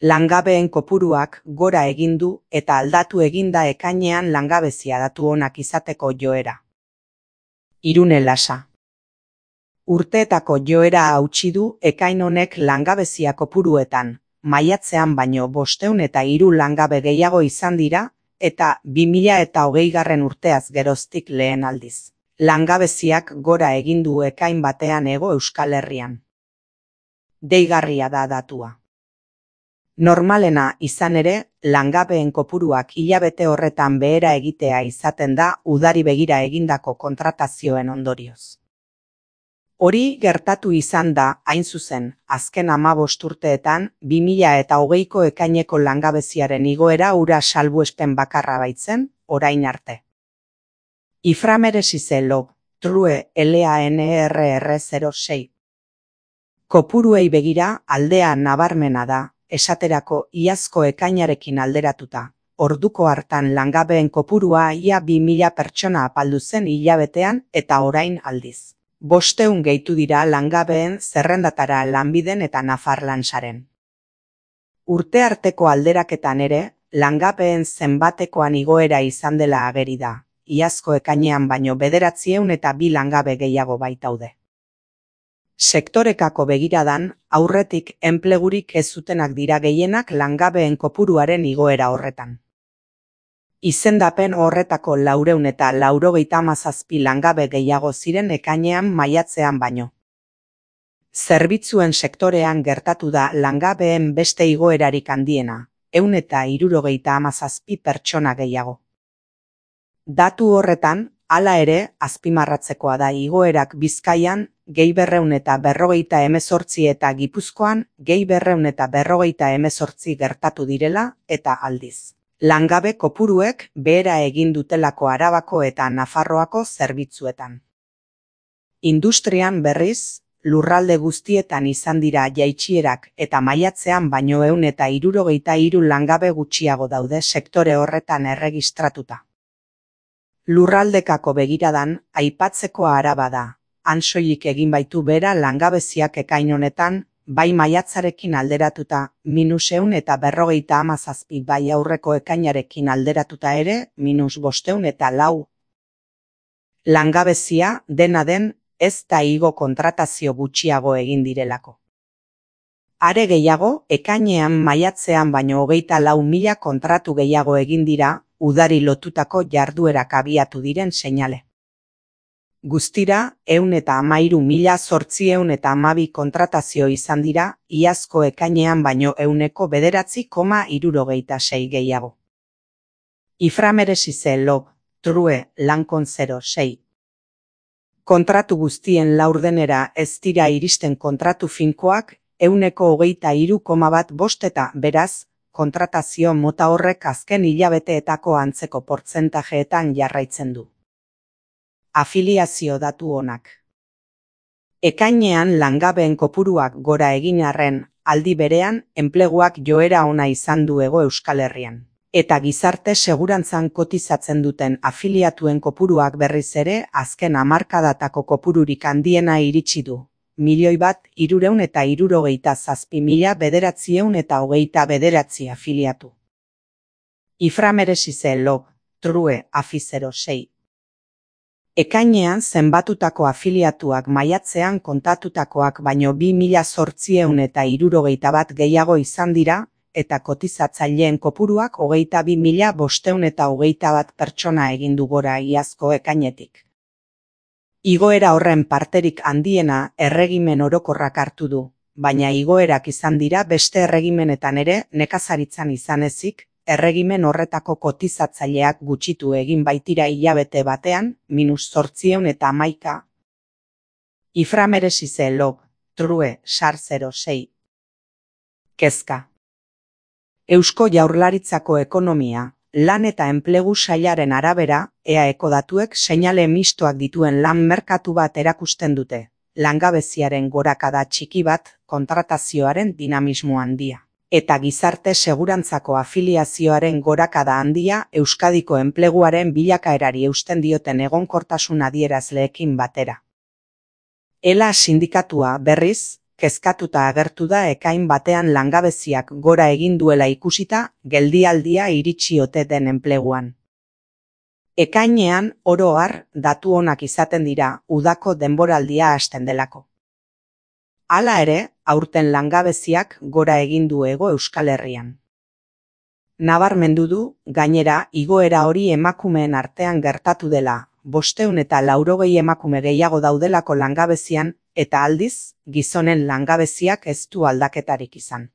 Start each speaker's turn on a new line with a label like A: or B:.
A: Langabeen kopuruak gora egin du eta aldatu eginda ekainean langabezia datu onak izateko joera. Irune Lasa. Urteetako joera hautsi du ekain honek langabezia kopuruetan, maiatzean baino 503 langabe gehiago izan dira, eta 2020 urteaz geroztik lehen aldiz. Langabeziak gora egin du ekain batean Hego Euskal Herrian. Deigarria da datua. Normalena izan ere, langabeen kopuruak hilabete horretan behera egitea izaten da udari begira egindako kontratazioen ondorioz. Hori gertatu izan da, hain zuzen, azken 15 urteetan 2020ko ekaineko langabeziaren igoera hura salbuespen bakarra baitzen, orain arte. Iframeresize log, true LANERR 06. Kopuruei begira aldea nabarmena da, esaterako iazko ekainarekin alderatuta. Orduko hartan langabeen kopurua ia 2000 pertsona apaldu zen hilabetean eta orain aldiz. 500 gehitu dira langabeen zerrendatara Lanbiden eta Nafarlansaren. Urte arteko alderaketan ere, langabeen zenbatekoan igoera izan dela ageri da. Iazko ekainean baino 902 langabe gehiago baitaude. Sektorekako begiradan, aurretik enplegurik ez zutenak dira gehienak langabeen kopuruaren igoera horretan. Izendapen horretako 497 langabe gehiago ziren ekainean maiatzean baino. Zerbitzuen sektorean gertatu da langabeen beste igoerarik handiena, 177 pertsona gehiago. Datu horretan, hala ere, azpimarratzekoa da igoerak Bizkaian, gehi 248 eta Gipuzkoan, gehi 248 gertatu direla, eta aldiz. Langabe kopuruek behera egin dutelako Arabako eta Nafarroako zerbitzuetan. Industrian berriz, lurralde guztietan izan dira jaitsierak eta maiatzean baino 163 langabe gutxiago daude sektore horretan erregistratuta. Lurraldekako begiradan, aipatzeko Araba da. Han soilik egin baitu bera langabeziak ekain honetan, bai maiatzarekin alderatuta, -157 bai aurreko ekainarekin alderatuta ere, -504. Langabezia, dena den, ez da igo kontratazio gutxiago egin direlako. Are gehiago, ekainean maiatzean baino 24.000 kontratu gehiago egin dira, udari lotutako jarduerak abiatu diren seinale. Guztira, 113.812 kontratazio izan dira, iazko ekainean baino 9,76 gehiago. Iframeresize log, true, Lancon 06. Kontratu guztien laurdenera ez dira iristen kontratu finkoak, 123,15 eta beraz, kontratazio mota horrek azken hilabeteetako antzeko portzentajeetan jarraitzen du. Afiliazio datu onak. Ekainean langabeen kopuruak gora egin arren, aldi berean enpleguak joera ona izan du Hego Euskal Herrian. Eta gizarte segurantzan kotizatzen duten afiliatuen kopuruak berriz ere azken hamarkadatako kopururik handiena iritsi du. 1.367.929 afiliatu. Iframeresize log, true, afi 06. Ekainean zenbatutako afiliatuak maiatzean kontatutakoak baino 2.861 gehiago izan dira, eta kotizatzaileen kopuruak 22.521 pertsona egin du gora iazko ekainetik. Igoera horren parterik handiena erregimen orokorrak hartu du, baina igoerak izan dira beste erregimenetan ere nekazaritzan izan ezik, erregimen horretako kotizatzaileak gutxitu egin baitira hilabete batean, -811. Iframeresize log, true, sar 06. Kezka. Eusko Jaurlaritzako ekonomia, lan eta enplegu sailaren arabera, EAEko datuek seinale mistoak dituen lan merkatu bat erakusten dute, langabeziaren gorakada txiki bat, kontratazioaren dinamismo handia. Eta gizarte segurantzako afiliazioaren gorakada handia Euskadiko enpleguaren bilakaerari eusten dioten egonkortasun adierazleekin batera. ELA sindikatua berriz, kezkatuta agertu da ekain batean langabeziak gora egin duela ikusita geldialdia iritsi ote den enpleguan. Ekainean oro har datu onak izaten dira udako denboraldia hasten delako. Hala ere, aurten langabeziak gora egin du Hego Euskal Herrian. Nabarmendu du, gainera, igoera hori emakumeen artean gertatu dela, 580 emakume gehiago daudelako langabezian, eta aldiz, gizonen langabeziak ez du aldaketarik izan.